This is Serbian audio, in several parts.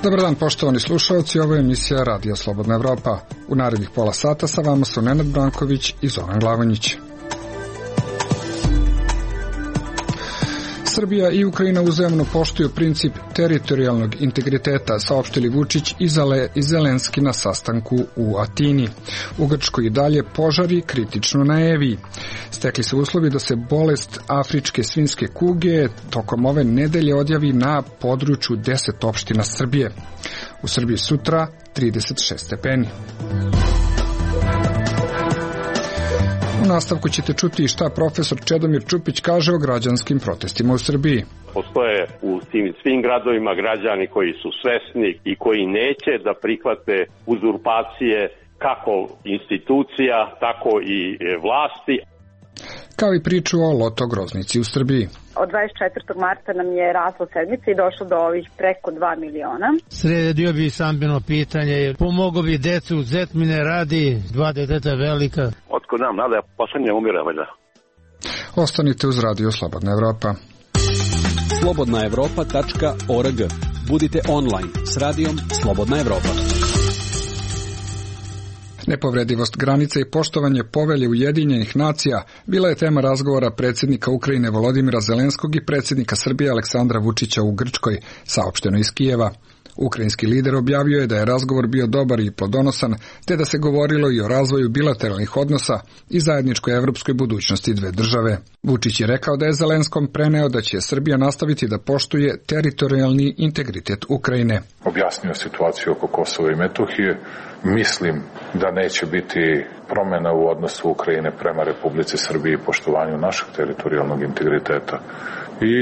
Dobar dan, poštovani slušalci, ovo je emisija Radija Slobodna Evropa. U narednih pola sata sa vama su Nenad Branković i Zoran Glavonjić. Srbija i Ukrajina uzajamno poštuju princip teritorijalnog integriteta, saopštili Vučić i Zelenski na sastanku u Atini. U Grčkoj i dalje požari, kritično na Eviji. Stekli se uslovi da se bolest afričke svinjske kuge tokom ove nedelje odjavi na području 10 opština Srbije. U Srbiji sutra 36 stepeni. U nastavku ćete čuti šta profesor Čedomir Čupić kaže o građanskim protestima u Srbiji. Postoje u tim svim gradovima građani koji su svesni i koji neće da prihvate uzurpacije kako institucija, tako i vlasti. Kao i priču o loto groznici u Srbiji. Od 24. marta nam je rasla sedmica i došlo do ovih preko 2 miliona. Sredio bi stambeno pitanje, pomogao bi decu, zet mi ne radi, 2 deteta velika. Otko nam nada, poslednje umire valjda. Ostanite uz Radio Slobodna Evropa. slobodnaevropa.org. Budite online s Radijom Slobodna Evropa. Nepovredivost granica i poštovanje povelje Ujedinjenih nacija bila je tema razgovora predsjednika Ukrajine Volodimira Zelenskog i predsjednika Srbije Aleksandra Vučića u Grčkoj, saopšteno iz Kijeva. Ukrajinski lider objavio je da je razgovor bio dobar i plodonosan, te da se govorilo i o razvoju bilateralnih odnosa i zajedničkoj evropskoj budućnosti dve države. Vučić je rekao da je Zelenskom preneo da će Srbija nastaviti da poštuje teritorijalni integritet Ukrajine. Objasnio situaciju oko Kosova i Metohije. Mislim da neće biti promjena u odnosu Ukrajine prema Republici Srbiji i poštovanju našeg teritorijalnog integriteta. I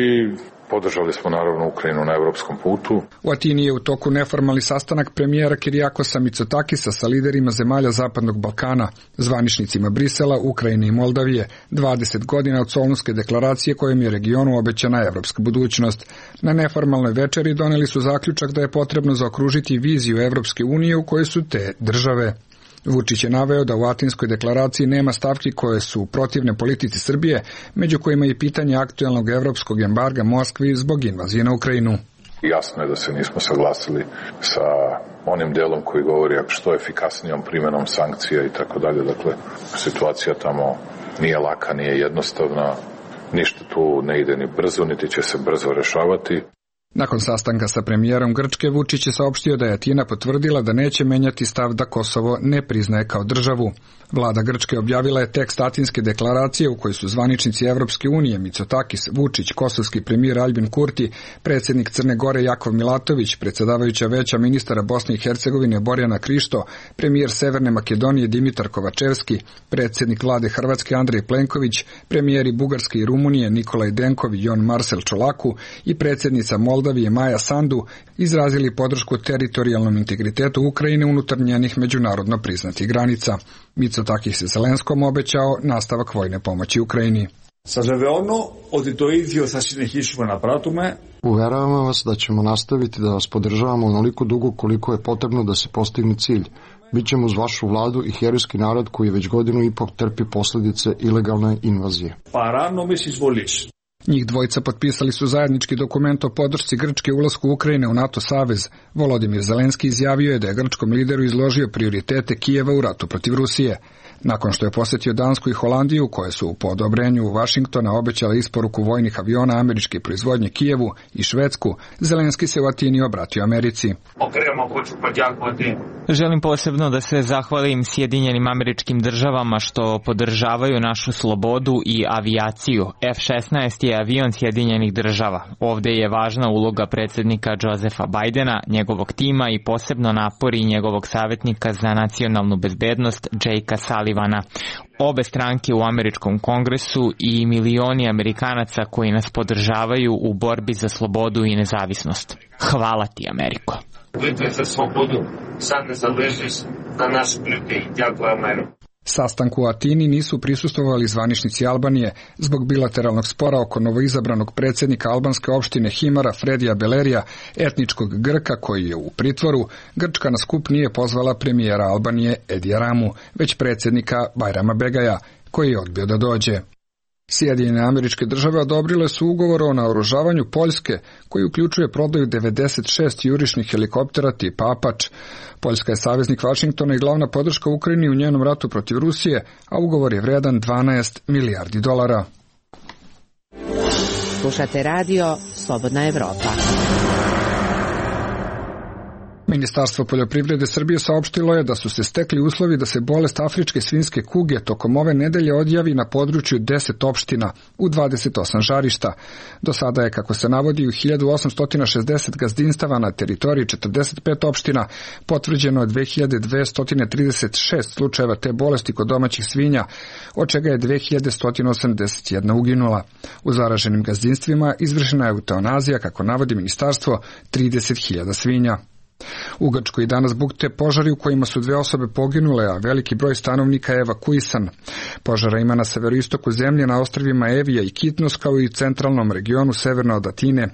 podržali smo naravno Ukrajinu na evropskom putu. U Atini je u toku neformalni sastanak premijera Kirijakosa Mitsotakisa sa liderima zemalja Zapadnog Balkana, zvaničnicima Brisela, Ukrajine i Moldavije, 20 godina od Solunske deklaracije kojom je regionu obećana evropska budućnost. Na neformalnoj večeri doneli su zaključak da je potrebno zaokružiti viziju Evropske unije u kojoj su te države. Vučić je naveo da u Atinskoj deklaraciji nema stavki koje su protivne politici Srbije, među kojima i pitanje aktuelnog evropskog embarga Moskvi zbog invazije na Ukrajinu. Jasno je da se nismo saglasili sa onim delom koji govori što efikasnijom primjenom sankcija i tako dalje. Dakle, situacija tamo nije laka, nije jednostavna, ništa tu ne ide ni brzo, niti će se brzo rešavati. Nakon sastanka sa premijerom Grčke, Vučić je saopštio da je Atina potvrdila da neće menjati stav da Kosovo ne priznaje kao državu. Vlada Grčke objavila je tekst Atinske deklaracije u kojoj su zvaničnici Evropske unije Mitsotakis, Vučić, kosovski premijer Aljbin Kurti, predsjednik Crne Gore Jakov Milatović, predsjedavajuća veća ministara Bosne i Hercegovine Borjana Krišto, premijer Severne Makedonije Dimitar Kovačevski, predsjednik vlade Hrvatske Andrej Plenković, premijeri Bugarske i Rumunije Nikolaj Denkov i Jon Marcel Čolaku i predsjednica Moldavije Maja Sandu izrazili podršku teritorijalnom integritetu Ukrajine unutar njenih međunarodno priznatih granica. Mitsotakis je Zelenskom obećao nastavak vojne pomoći Ukrajini. Uveravamo vas da ćemo nastaviti da vas podržavamo onoliko dugo koliko je potrebno da se postigne cilj. Bićemo uz vašu vladu i herojski narod koji već godinu i pol trpi posljedice ilegalne invazije. Njih dvojica potpisali su zajednički dokument o podršci Grčke ulasku Ukrajine u NATO savez. Volodimir Zelenski izjavio je da je grčkom lideru izložio prioritete Kijeva u ratu protiv Rusije. Nakon što je posjetio Dansku i Holandiju, koje su po odobrenju Vašingtona obećale isporuku vojnih aviona američke proizvodnje Kijevu i Švedsku, Zelenski se u Atini obratio Americi. Želim posebno da se zahvalim Sjedinjenim Američkim Državama što podržavaju našu slobodu i avijaciju. F-16 je avion Sjedinjenih Država. Ovdje je važna uloga predsjednika Josefa Bidena, njegovog tima i posebno napori njegovog savjetnika za nacionalnu bezbednost Jakea Sullivana. Obe stranke u američkom kongresu i milioni Amerikanaca koji nas podržavaju u borbi za slobodu i nezavisnost. Hvala ti, Ameriko. Bitve za slobodu sad ne zaleži na našem ljudi. Дякую, Америко. Sastanku u Atini nisu prisustvovali zvaničnici Albanije zbog bilateralnog spora oko novoizabranog predsjednika albanske opštine Himara Fredija Belerija, etničkog Grka koji je u pritvoru. Grčka na skup nije pozvala premijera Albanije Edija Ramu, već predsjednika Bajrama Begaja, koji je odbio da dođe. Sjedinjene Američke Države odobrile su ugovor o naoružavanju Poljske, koji uključuje prodaju 96 jurišnih helikoptera tipa Apač. Poljska je saveznik Vašingtona i glavna podrška Ukrajini u njenom ratu protiv Rusije, a ugovor je vredan 12 milijardi dolara. Slušate radio Slobodna Evropa. Ministarstvo poljoprivrede Srbije saopštilo je da su se stekli uslovi da se bolest afričke svinjske kuge tokom ove nedelje odjavi na području 10 opština u 28 žarišta. Do sada je, kako se navodi, u 1860 gazdinstava na teritoriji 45 opština potvrđeno 2236 slučajeva te bolesti kod domaćih svinja, od čega je 2181 uginula. U zaraženim gazdinstvima izvršena je eutanazija, kako navodi ministarstvo, 30.000 svinja. U Grčkoj danas bukte požari u kojima su 2 osobe poginule, a veliki broj stanovnika je evakuisan. Požara ima na severoistoku zemlje, na ostrvima Evija i Kitnos, kao i u centralnom regionu severno od Atine.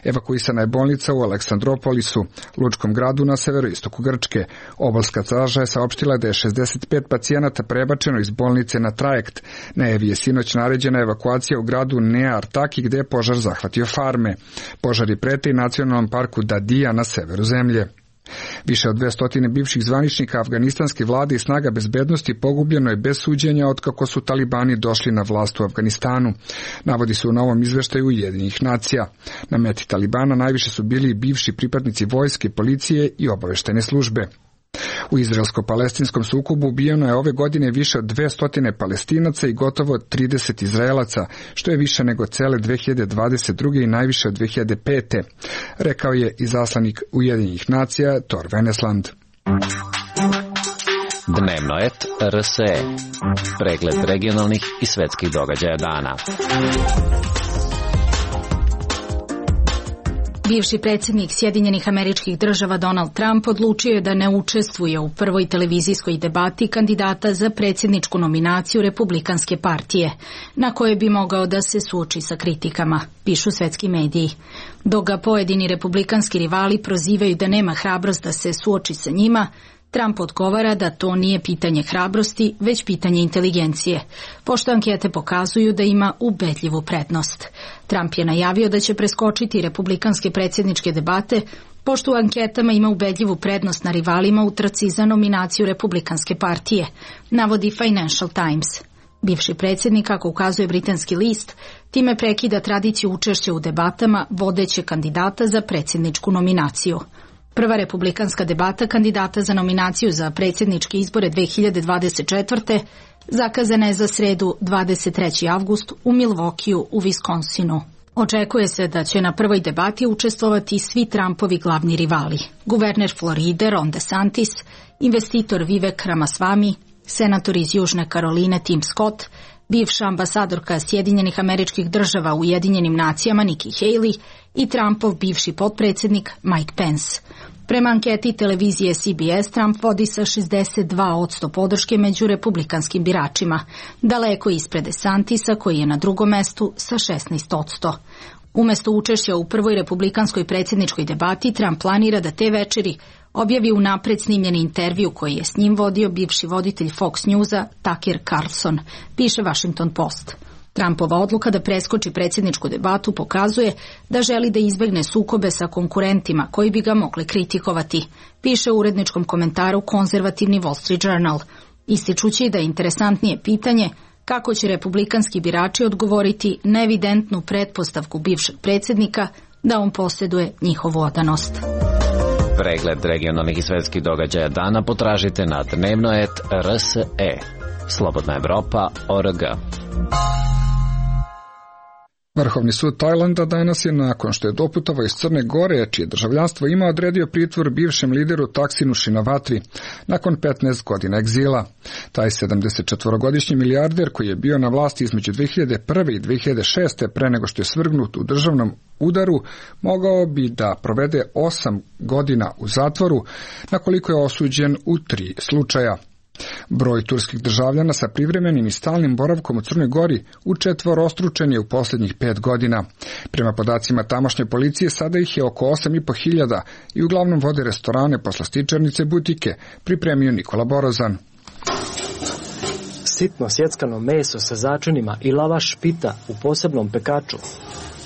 Evakuisana je bolnica u Aleksandropolisu, lučkom gradu na severoistoku Grčke. Obalska straža je saopštila da je 65 pacijenata prebačeno iz bolnice na trajekt. Na Eviji je sinoć naređena evakuacija u gradu Nea Artaki, gde je požar zahvatio farme. Požari prete i nacionalnom parku Dadija na severu zemlje. Više od 200 bivših zvaničnika afganistanske vlade i snaga bezbednosti pogubljeno je bez suđenja otkako su talibani došli na vlast u Afganistanu. Navodi se u novom izveštaju Ujedinjenih nacija. Na meti talibana najviše su bili bivši pripadnici vojske, policije i obaveštene službe. U izraelsko-palestinskom sukobu ubijeno je ove godine više od 200 Palestinaca i gotovo 30 Izraelaca, što je više nego cele 2022. i najviše od 2005. Rekao je izaslanik Ujedinjenih nacija Tor Venesland. Dnevno et RSE. Pregled regionalnih i svetskih događaja dana. Bivši predsjednik Sjedinjenih Američkih Država Donald Trump odlučio je da ne učestvuje u prvoj televizijskoj debati kandidata za predsjedničku nominaciju Republikanske partije, na kojoj bi mogao da se suoči sa kritikama, pišu svetski mediji. Dok ga pojedini republikanski rivali prozivaju da nema hrabrost da se suoči sa njima, Trump odgovara da to nije pitanje hrabrosti, već pitanje inteligencije, pošto ankete pokazuju da ima ubedljivu prednost. Trump je najavio da će preskočiti republikanske predsjedničke debate, pošto u anketama ima ubedljivu prednost na rivalima u trci za nominaciju Republikanske partije, navodi Financial Times. Bivši predsjednik, kako ukazuje britanski list, time prekida tradiciju učešća u debatama vodeće kandidata za predsjedničku nominaciju. Prva republikanska debata kandidata za nominaciju za predsjedničke izbore 2024. zakazana je za sredu 23. avgust u Milwaukeeu u Wisconsinu. Očekuje se da će na prvoj debati učestvovati svi Trumpovi glavni rivali. Guverner Floride Ron DeSantis, investitor Vivek Ramaswamy, senator iz Južne Karoline Tim Scott, bivša ambasadorka Sjedinjenih Američkih Država u Ujedinjenim nacijama Nikki Haley i Trumpov bivši potpredsjednik Mike Pence. Prema anketi televizije CBS, Trump vodi sa 62% podrške među republikanskim biračima, daleko ispred DeSantisa koji je na drugom mestu sa 16%. Umesto učešća u prvoj republikanskoj predsjedničkoj debati, Trump planira da te večeri objavi unapred snimljeni intervju koji je s njim vodio bivši voditelj Fox Newsa Tucker Carlson, piše Washington Post. Trumpova odluka da preskoči predsjedničku debatu pokazuje da želi da izbegne sukobe sa konkurentima koji bi ga mogli kritikovati, piše u uredničkom komentaru konzervativni Wall Street Journal, ističući da je interesantnije pitanje kako će republikanski birači odgovoriti na evidentnu pretpostavku bivšeg predsjednika da on posjeduje njihovu odanost. Pregled regionalnih i svetskih događaja dana potražite na dnevnoet.rse. Slobodna Evropa.org. Vrhovni sud Tajlanda danas je, nakon što je doputovao iz Crne Gore, čije državljanstvo ima, odredio pritvor bivšem lideru Taksinu Šinavatri nakon 15 godina egzila. Taj 74-godišnji milijarder, koji je bio na vlasti između 2001. i 2006. pre nego što je svrgnut u državnom udaru, mogao bi da provede 8 godina u zatvoru, na koliko je osuđen u 3 slučaja. Broj turskih državljana sa privremenim i stalnim boravkom u Crnoj Gori učetvorostručen je u posljednjih 5 godina. Prema podacima tamošnje policije sada ih je oko 8.500 i uglavnom vode restorane, poslastičarnice, butike, pripremio Nikola Borozan. Sitno sjeckano meso sa začinima i lavaš pita u posebnom pekaču.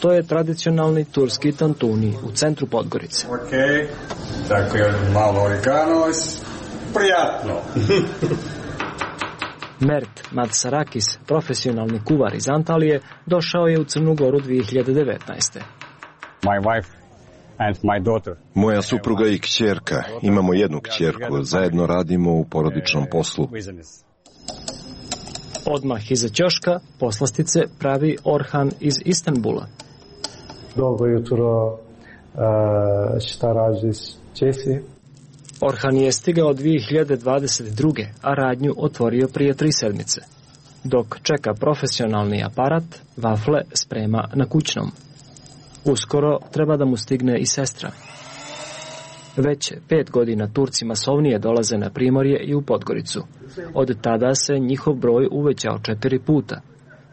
To je tradicionalni turski tantuni u centru Podgorice. Tako je malo oreganos, prijatno. Mert Madsarakis, profesionalni kuvar iz Antalije, došao je u Crnu Goru 2019. My wife and my daughter. Moja supruga i kćerka, imamo jednu kćerku, zajedno radimo u porodičnom poslu. Odmah iza ćoška poslastice pravi Orhan iz Istanbula. Dobro jutro, šta radiš, Česi? Orhan je stigao 2022. a radnju otvorio prije 3 sedmice. Dok čeka profesionalni aparat, vafle sprema na kućnom. Uskoro treba da mu stigne i sestra. Već 5 godina Turci masovnije dolaze na Primorje i u Podgoricu. Od tada se njihov broj uvećao 4 puta.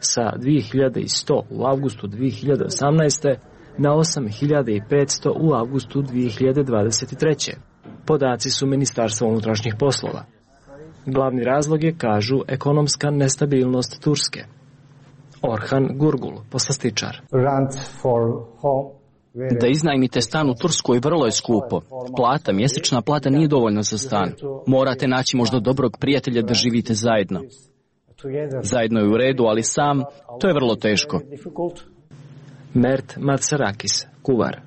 Sa 2100 u avgustu 2018. na 8500 u avgustu 2023. Podaci su Ministarstva unutrašnjih poslova. Glavni razlog je, kažu, ekonomska nestabilnost Turske. Orhan Gurgul, poslastičar. Da iznajmite stan u Turskoj vrlo je skupo. Mjesečna plata nije dovoljna za stan. Morate naći možda dobrog prijatelja da živite zajedno. Zajedno je u redu, ali sam, to je vrlo teško. Mert Madsarakis, kuvar.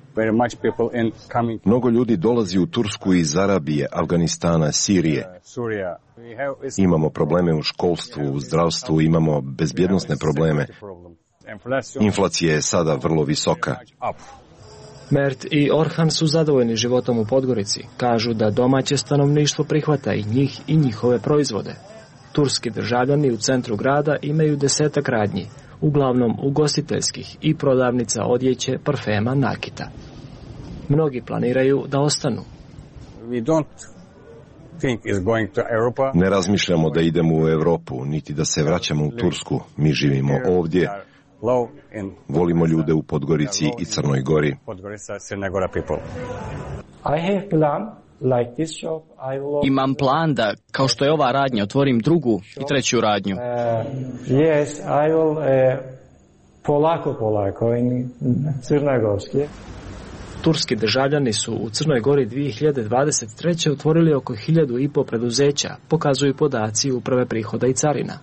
Mnogo ljudi dolazi u Tursku iz Arabije, Afganistana, Sirije. Imamo probleme u školstvu, u zdravstvu, imamo bezbjednosne probleme. Inflacija je sada vrlo visoka. Mert i Orhan su zadovoljni životom u Podgorici. Kažu da domaće stanovništvo prihvata i njih i njihove proizvode. Turski državljani u centru grada imaju 10 radnji, uglavnom ugostiteljskih i prodavnica odjeće, parfema, nakita. Mnogi planiraju da ostanu. Ne razmišljamo da idemo u Europu, niti da se vraćamo u Tursku. Mi živimo ovdje. Volimo ljude u Podgorici i Crnoj Gori. Imam plan da, kao što je ova radnja, otvorim drugu i treću radnju. Polako in crnogorski. Turski državljani su u Crnoj Gori 2023. otvorili oko 1500 preduzeća, pokazuju podaci Uprave prihoda i carina.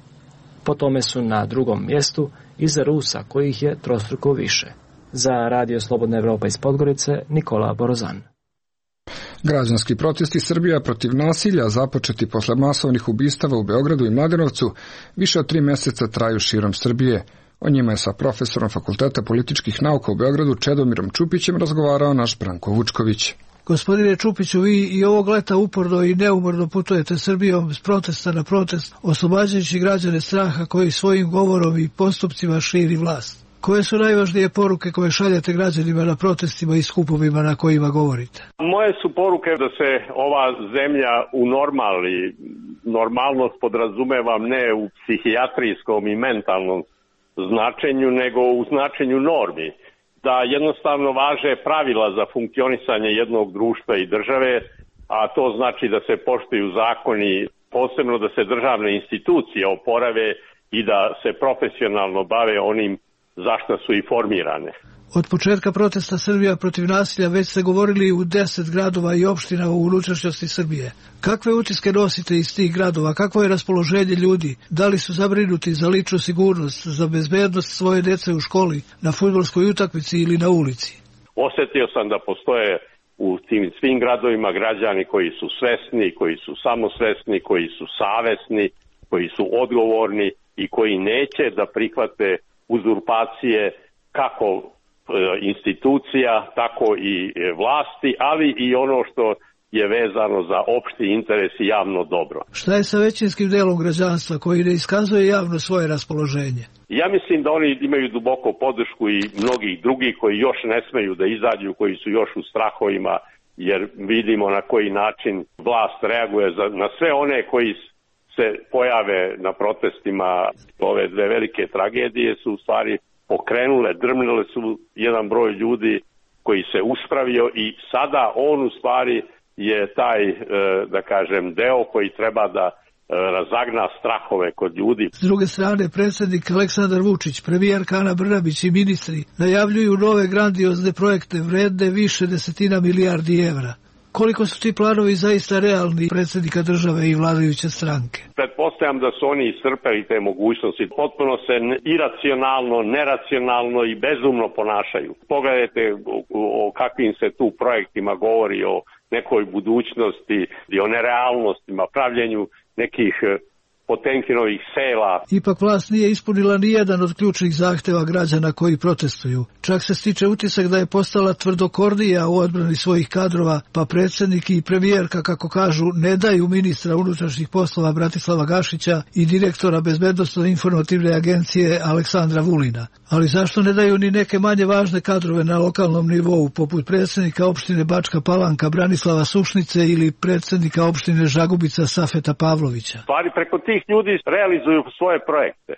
Po tome su na drugom mjestu iza Rusa, kojih je trostruko više. Za Radio Slobodna Evropa iz Podgorice, Nikola Borozan. Građanski protesti Srbija protiv nasilja, započeti posle masovnih ubistava u Beogradu i Mladenovcu, više od 3 mjeseca traju širom Srbije. O njima je sa profesorom Fakulteta političkih nauka u Beogradu Čedomirom Čupićem razgovarao naš Branko Vučković. Gospodine Čupiću, vi i ovog leta uporno i neumorno putujete Srbijom s protesta na protest, oslobađajući građane straha koji svojim govorom i postupcima širi vlast. Koje su najvažnije poruke koje šaljete građanima na protestima i skupovima na kojima govorite? Moje su poruke da se ova zemlja unormali. Normalnost podrazumevam ne u psihijatrijskom i mentalnom značenju, nego u značenju normi. Da jednostavno važe pravila za funkcionisanje jednog društva i države, a to znači da se poštuju zakoni, posebno da se državne institucije oporave i da se profesionalno bave onim zašto su i formirane. Od početka protesta Srbija protiv nasilja već ste govorili u 10 gradova i opština u unutrašnjosti Srbije. Kakve utiske nosite iz tih gradova? Kakvo je raspoloženje ljudi? Da li su zabrinuti za ličnu sigurnost, za bezbednost svoje dece u školi, na fudbalskoj utakmici ili na ulici? Osjetio sam da postoje u tim svim gradovima građani koji su svesni, koji su samosvesni, koji su savesni, koji su odgovorni i koji neće da prihvate uzurpacije kako institucija, tako i vlasti, ali i ono što je vezano za opšti interes i javno dobro. Šta je sa većinskim delom građanstva koji ne iskazuje javno svoje raspoloženje? Ja mislim da oni imaju duboko podršku i mnogih drugih koji još ne smeju da izađu, koji su još u strahovima, jer vidimo na koji način vlast reaguje na sve one koji se pojave na protestima ove dve velike tragedije su u stvari pokrenule, drmnule su jedan broj ljudi koji se uspravio i sada on u stvari je taj, da kažem, deo koji treba da razagna strahove kod ljudi. S druge strane, predsjednik Aleksandar Vučić, premijerka Ana Brnabić i ministri najavljuju nove grandiozne projekte vredne više desetina milijardi evra. Koliko su ti planovi zaista realni predsjednika države i vladajuće stranke? Pretpostavljam da su oni iscrpeli te mogućnosti. Potpuno se iracionalno, neracionalno i bezumno ponašaju. Pogledajte o kakvim se tu projektima govori, o nekoj budućnosti i o nerealnostima, pravljenju nekih Potemkinovih sela. Ipak vlast nije ispunila ni jedan od ključnih zahteva građana koji protestuju. Čak se stiče utisak da je postala tvrdokornija u odbrani svojih kadrova, pa predsjednik i premijerka, kako kažu, ne daju ministra unutrašnjih poslova Bratislava Gašića i direktora Bezbednosno-informativne agencije Aleksandra Vulina. Ali zašto ne daju ni neke manje važne kadrove na lokalnom nivou, poput predsjednika opštine Bačka Palanka Branislava Sušnice ili predsjednika opštine Žagubica Safeta Pavlovića? Stvari preko tih ljudi realizuju svoje projekte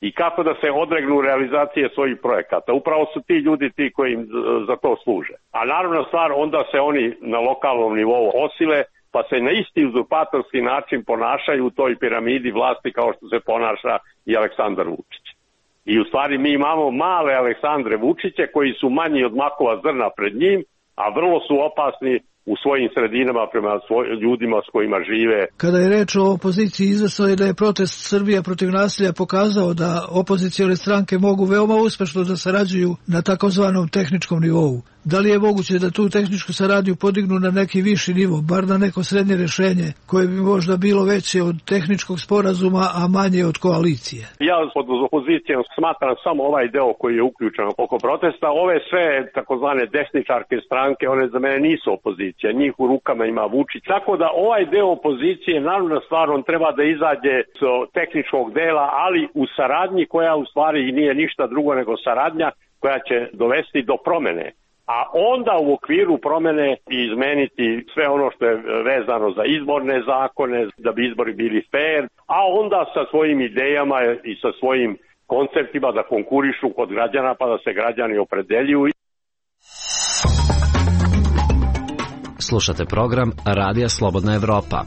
i kako da se odregnu realizacije svojih projekata. Upravo su ti ljudi ti koji im za to služe. A naravno stvar, onda se oni na lokalnom nivou osile, pa se na isti uzurpatorski način ponašaju u toj piramidi vlasti kao što se ponaša i Aleksandar Vučić. I u stvari mi imamo male Aleksandre Vučiće koji su manji od makova zrna pred njim, a vrlo su opasni u svojim sredinama prema ljudima s kojima žive. Kada je reč o opoziciji, izvesno je da je protest Srbija protiv nasilja pokazao da opozicione stranke mogu veoma uspešno da sarađuju na takozvanom tehničkom nivou. Da li je moguće da tu tehničku saradnju podignu na neki viši nivo, bar na neko srednje rešenje, koje bi možda bilo veće od tehničkog sporazuma, a manje od koalicije? Ja pod opozicijom smatram samo ovaj deo koji je uključen oko protesta. Ove sve takozvane desničarke stranke, one za mene nisu opozicija. Njih u rukama ima Vučić. Tako da ovaj deo opozicije, naravno stvar, on treba da izađe s tehničkog dela, ali u saradnji koja u stvari nije ništa drugo nego saradnja koja će dovesti do promene. A onda u okviru promene izmeniti sve ono što je vezano za izborne zakone, da bi izbori bili fair, a onda sa svojim idejama i sa svojim konceptima da konkurišu kod građana pa da se građani opredeljuju. Slušate program Radija Slobodna Evropa.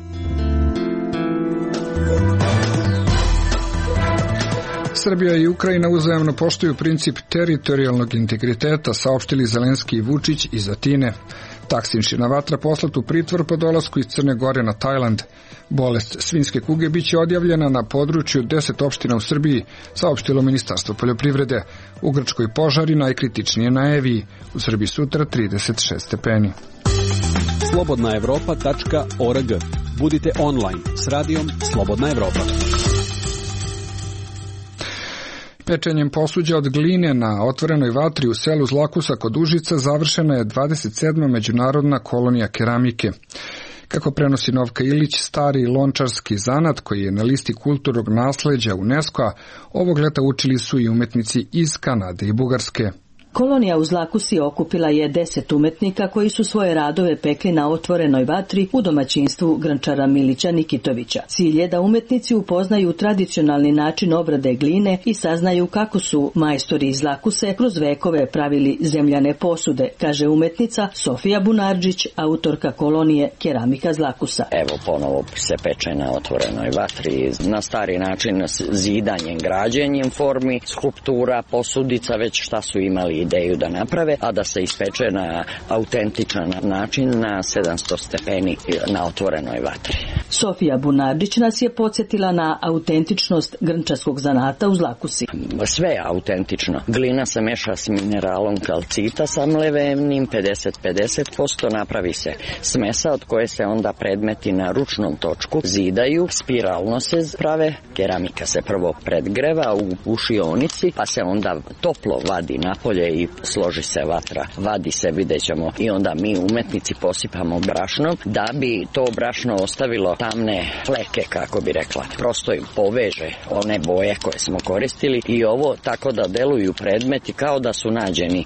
Srbija i Ukrajina uzajamno poštuju princip teritorijalnog integriteta, saopštili Zelenski i Vučić iz Atine. Taksinšina vatra poslat u pritvor po dolasku iz Crne Gore na Tajland. Bolest svinjske kuge biće odjavljena na području 10 opština u Srbiji, saopštilo Ministarstvo poljoprivrede. U Grčkoj požari najkritičnije na Eviji, u Srbiji sutra 36 stepeni. slobodnaevropa.org. Budite online s radijom Slobodna Evropa. Pečenjem posuđa od gline na otvorenoj vatri u selu Zlakusa kod Užica završena je 27. međunarodna kolonija keramike. Kako prenosi Novka Ilić, stari lončarski zanat koji je na listi kulturnog nasleđa UNESCO-a, ovog leta učili su i umetnici iz Kanade i Bugarske. Kolonija u Zlakusi okupila je 10 umetnika koji su svoje radove pekli na otvorenoj vatri u domaćinstvu grančara Milića Nikitovića. Cilj je da umetnici upoznaju tradicionalni način obrade gline i saznaju kako su majstori iz Zlakuse kroz vekove pravili zemljane posude, kaže umetnica Sofija Bunarđić, autorka kolonije Keramika Zlakusa. Evo ponovo se peče na otvorenoj vatri, na stari način zidanjem, građenjem formi, skulptura, posudica, već šta su imali ideju da naprave, a da se ispeče na autentičan način na 700 stepeni na otvorenoj vatri. Sofija Bunardić nas je podsjetila na autentičnost grnčarskog zanata u Zlakusi. Sve je autentično. Glina se meša s mineralom kalcita sa mlevenim, 50-50%, napravi se smesa od koje se onda predmeti na ručnom točku zidaju, spiralno se prave, keramika se prvo predgreva u ušionici, pa se onda toplo vadi napolje i složi se vatra, vadi se, vidjet ćemo, i onda mi umetnici posipamo brašnom da bi to brašno ostavilo tamne fleke, kako bi rekla. Prosto im poveže one boje koje smo koristili i ovo tako da deluju predmeti kao da su nađeni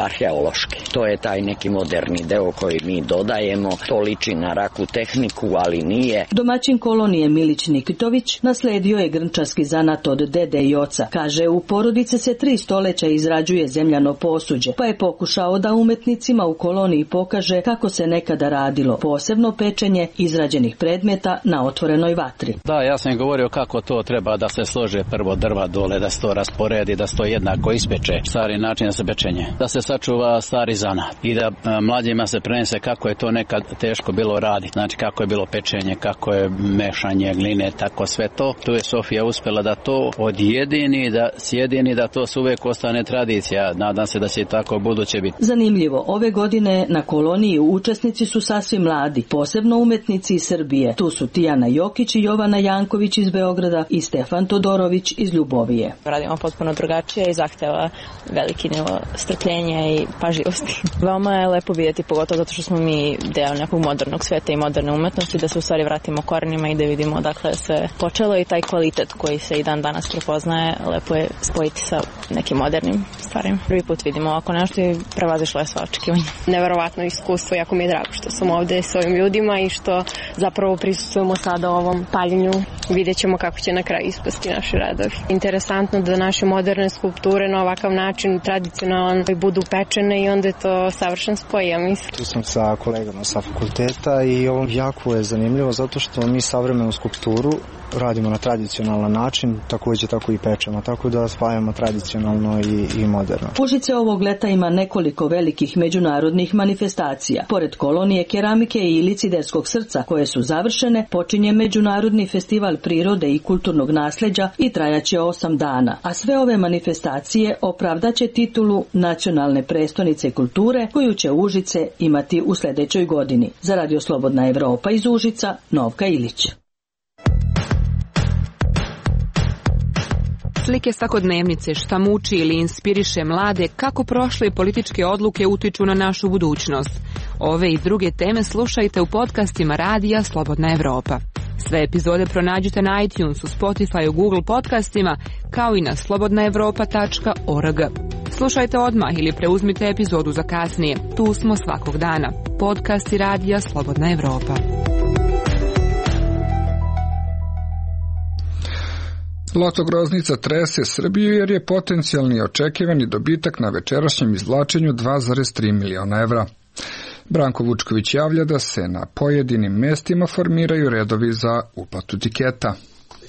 arheološki. To je taj neki moderni deo koji mi dodajemo, to liči na raku tehniku, ali nije. Domaćin kolonije Milić Nikitović nasledio je grnčarski zanat od dede i oca. Kaže, u porodice se 3 stoleća izrađuje zemljano posuđe, pa je pokušao da umetnicima u koloniji pokaže kako se nekada radilo, posebno pečenje izrađenih predmeta na otvorenoj vatri. Da, ja sam govorio kako to treba da se slože prvo drva dole, da se to rasporedi, da se to jednako ispeče, stari način za pečenje, da se sačuva stari zanat i da mlađima se prenese kako je to nekad teško bilo raditi, znači kako je bilo pečenje, kako je mešanje gline, tako sve to. Tu je Sofija uspela da to odjedini, da sjedini, da to uvek ostane tradicija. Nadam se da će tako buduće biti. Zanimljivo, ove godine na koloniji učesnici su sasvim mladi, posebno umetnici iz Srbije. Tu su Tijana Jokić i Jovana Janković iz Beograda i Stefan Todorović iz Ljubovije. Radimo potpuno drugačije i zahteva veliki nivo strpljenja i pažljivosti. Veoma je lepo vidjeti, pogotovo zato što smo mi deo nekog modernog sveta i moderne umetnosti, da se u stvari vratimo korenima i da vidimo odakle se počelo i taj kvalitet koji se i dan danas prepoznaje, lepo je spojiti sa nekim modernim stvarima. Prvi put vidimo ovako nešto i prevazišlo je sva očekivanja. Neverovatno iskustvo, jako mi je drago što sam ovde s ovim ljudima i što zapravo prisustvujemo sada ovom paljenju. Vidjet ćemo kako će na kraju ispasti naši radovi. Interesantno da naše moderne skulpture na ovakav način tradicionalan budu pečene i onda je to savršen spoj, ja mislim. Tu sam sa kolegama sa fakulteta i ovo jako je zanimljivo zato što mi savremenu skulpturu radimo na tradicionalan način, također tako i pečemo, tako da spajamo tradicionalno i moderno. Užice ovog leta ima nekoliko velikih međunarodnih manifestacija. Pored kolonije keramike i Liciderskog srca koje su završene, počinje Međunarodni festival prirode i kulturnog nasleđa i trajaće 8 dana. A sve ove manifestacije opravdaće titulu nacionalne prestonice kulture koju će Užice imati u sljedećoj godini. Za Radio Slobodna Evropa iz Užica, Novka Ilić. Slike svakodnevnice, šta muči ili inspiriše mlade, kako prošle političke odluke utiču na našu budućnost. Ove i druge teme slušajte u podcastima Radija Slobodna Evropa. Sve epizode pronađite na iTunesu, Spotify, Google podcastima, kao i na slobodnaevropa.org. Slušajte odmah ili preuzmite epizodu za kasnije. Tu smo svakog dana. Podcasti Radija Slobodna Evropa. Loto Groznica trese Srbiju jer je potencijalni očekivani dobitak na večerašnjem izvlačenju 2,3 miliona evra. Branko Vučković javlja da se na pojedinim mestima formiraju redovi za uplatu tiketa.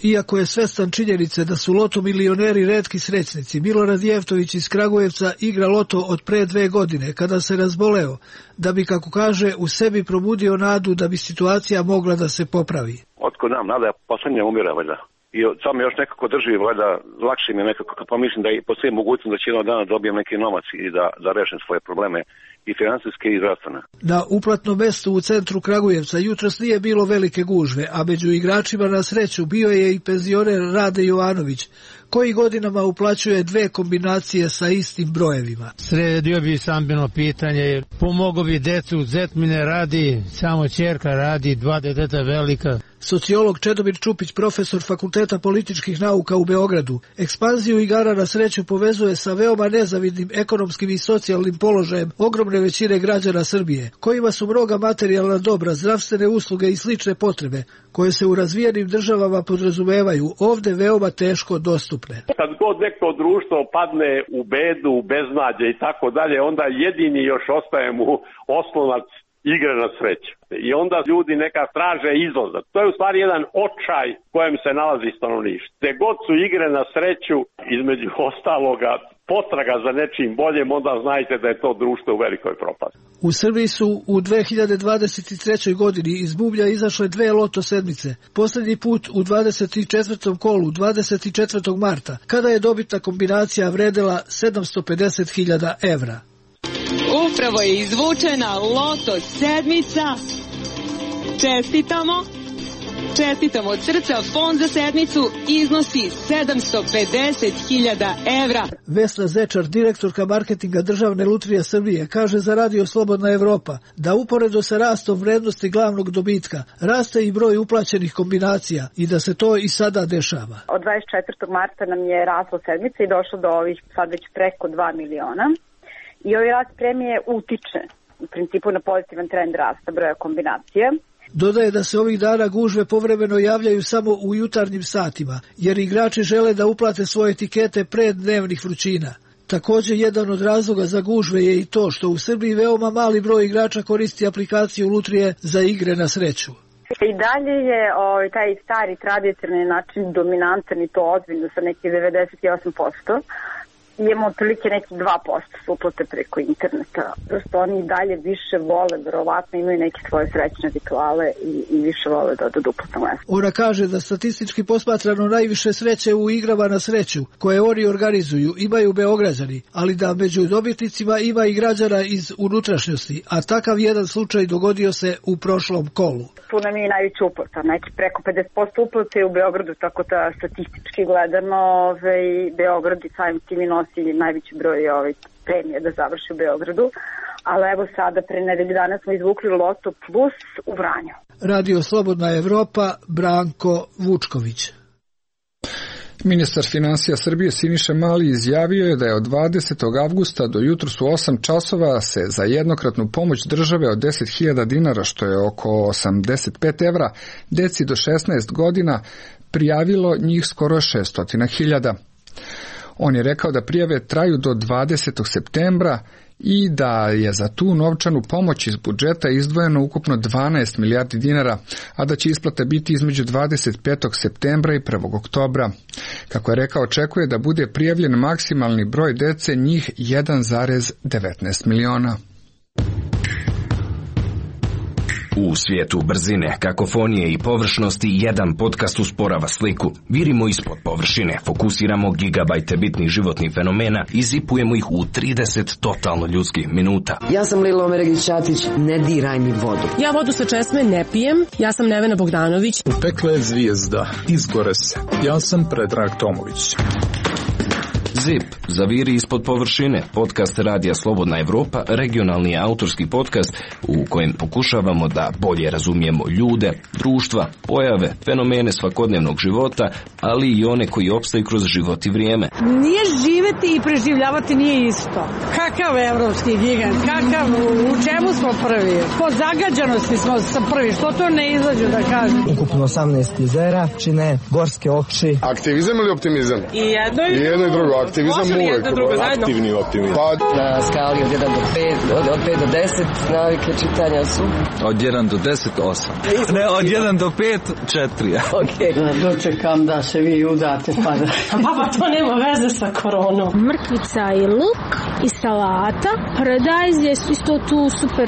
Iako je svestan činjenice da su loto milioneri retki srećnici, Milorad Jeftović iz Kragujevca igra loto od pre 2 godine, kada se razboleo, da bi, kako kaže, u sebi probudio nadu da bi situacija mogla da se popravi. Otkud nam nada, poslednje umire, valjda. I samo još nekako drži, valjda, lakše mi je nekako, kad pomislim da i postoji mogućnost da će jednog dana dobijem neki novac i da rešim svoje probleme i finansijske i zdravstvene. Na uplatnom mestu u centru Kragujevca jutros nije bilo velike gužve, a među igračima na sreću bio je i penzioner Rade Jovanović, koji godinama uplaćuje 2 kombinacije sa istim brojevima. Sredio bi stambeno pitanje, pomogao bi decu, zet mi ne radi, samo ćerka radi, 2 deteta velika. Sociolog Čedomir Čupić, profesor Fakulteta političkih nauka u Beogradu, ekspanziju igara na sreću povezuje sa veoma nezavidnim ekonomskim i socijalnim položajem ogromne većine građana Srbije, kojima su mnoga materijalna dobra, zdravstvene usluge i slične potrebe, koje se u razvijenim državama podrazumevaju, ovde veoma teško dostupne. Kad god neko društvo padne u bedu, u beznađe i tako dalje, onda jedini još ostaje mu oslonac igre na sreću. I onda ljudi neka traže izlazak. To je u stvari jedan očaj kojem se nalazi stanovništvo. Gde god su igre na sreću, između ostaloga, potraga za nečim boljem, onda znajte da je to društvo u velikoj propasti. U Srbiji su u 2023. godini iz bublja izašle 2 loto sedmice. Poslednji put u 24. kolu 24. marta, kada je dobitna kombinacija vredela 750.000 evra. Upravo je izvučena loto sedmica. Čestitamo. Čestitamo od srca, fond za sedmicu iznosi 750.000 evra. Vesna Zečar, direktorka marketinga Državne lutrije Srbije, kaže za Radio Slobodna Evropa da uporedo sa rastom vrednosti glavnog dobitka raste i broj uplaćenih kombinacija i da se to i sada dešava. Od 24. marta nam je raslo sedmica i došlo do ovih sad već preko 2 miliona. I ovaj rast premije utiče u principu na pozitivan trend rasta broja kombinacija. Dodaje da se ovih dana gužve povremeno javljaju samo u jutarnjim satima, jer igrači žele da uplate svoje etikete pre dnevnih vrućina. Također, jedan od razloga za gužve je i to što u Srbiji veoma mali broj igrača koristi aplikaciju Lutrije za igre na sreću. I dalje je taj stari tradicionalni način dominantan i to ozbiljno sa nekih 98%. Imamo otprilike neki 2% uplate preko interneta. Prosto oni dalje više vole, verovatno imaju neke svoje srećne rituale i više vole da odu uplatno mesto. Ona kaže da statistički posmatrano najviše sreće u igrama na sreću, koje oni organizuju, imaju Beograđani, ali da među dobitnicima ima i građana iz unutrašnjosti, a takav jedan slučaj dogodio se u prošlom kolu. Tu nam je i najveća uplata, neki preko 50% uplate u Beogradu, tako da statistički gledano Beograd i samim tim i nosi najveći broj premije da završi u Beogradu, ali evo sada pre nedelju dana smo izvukli Loto Plus u Vranju. Radio Slobodna Evropa, Branko Vučković. Ministar finansija Srbije Siniša Mali izjavio je da je od 20. avgusta do jutros u 8 časova se za jednokratnu pomoć države od 10.000 dinara, što je oko 85 evra, deci do 16 godina prijavilo njih skoro 600.000. On je rekao da prijave traju do 20. septembra i da je za tu novčanu pomoć iz budžeta izdvojeno ukupno 12 milijardi dinara, a da će isplata biti između 25. septembra i 1. oktobra. Kako je rekao, očekuje da bude prijavljen maksimalni broj dece, njih 1,19 miliona. U svijetu brzine, kakofonije i površnosti jedan podcast usporava sliku. Virimo ispod površine, fokusiramo gigabajte bitnih životnih fenomena i zipujemo ih u 30 totalno ljudskih minuta. Ja sam Lila Omeregić-Ćatić, ne diraj mi vodu. Ja vodu sa česme ne pijem, ja sam Nevena Bogdanović. Upekla je zvijezda, izgore se. Ja sam Predrag Tomović. ZIP, zaviri ispod površine, podcast Radija Slobodna Evropa, regionalni autorski podcast u kojem pokušavamo da bolje razumijemo ljude, društva, pojave, fenomene svakodnevnog života, ali i one koji opstaju kroz život i vrijeme. Nije živeti i preživljavati nije isto. Kakav evropski gigant, u čemu smo prvi? Po zagađanosti smo prvi, što to ne izađu da kažem? Ukupno 18 jezera, čine gorske oči. Aktivizam ili optimizam? I jedno i drugo. Aktivizam uvijek, aktivni optimizam. Na skali od 1 do 5, od 5 do 10 navike čitanja su? Od 1 do 10, 8. Ne, od 1 do 5, 4. Ok. Dočekam da se vi udate, pa da... Baba, to nema veze sa koronom. Mrkvica i luk i salata. Paradajz je isto tu super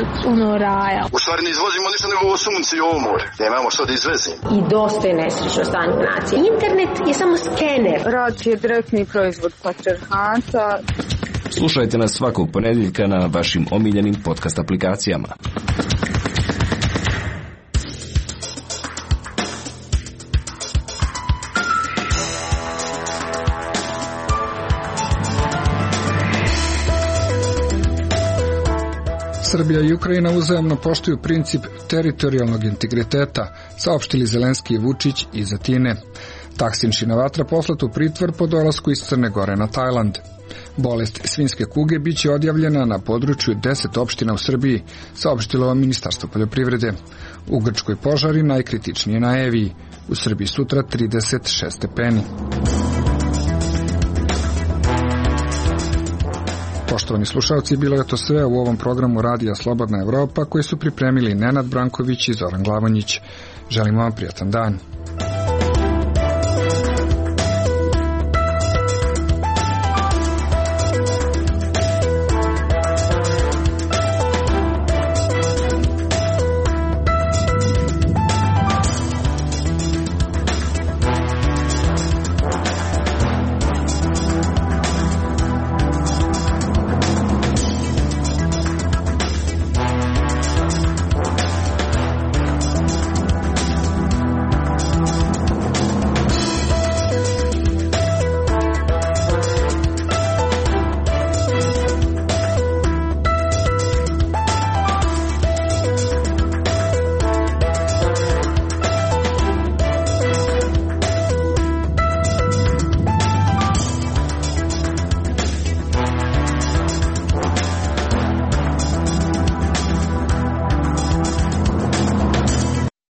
raja. U stvari ne izvozimo ništa nego ovo sunce i ovo more. Nemamo što da izvezimo. I dosta je nesrećno stanje nacije. Internet je samo skener. Rad je direktni proizvod patrijarhata. Slušajte nas svakog ponedjeljka na vašim omiljenim podcast aplikacijama. Srbija i Ukrajina uzajamno poštuju princip teritorijalnog integriteta, saopštili Zelenski i Vučić iz Atine. Taksin Šinavatra poslat u pritvor po dolasku iz Crne Gore na Tajland. Bolest svinjske kuge biće odjavljena na području 10 opština u Srbiji, saopštilo Ministarstvo poljoprivrede. U Grčkoj požari najkritičnije na Eviji. U Srbiji sutra 36 stepeni. Poštovani slušalci, bilo je to sve u ovom programu Radija Slobodna Evropa koji su pripremili Nenad Branković i Zoran Glavonjić. Želimo vam prijatan dan.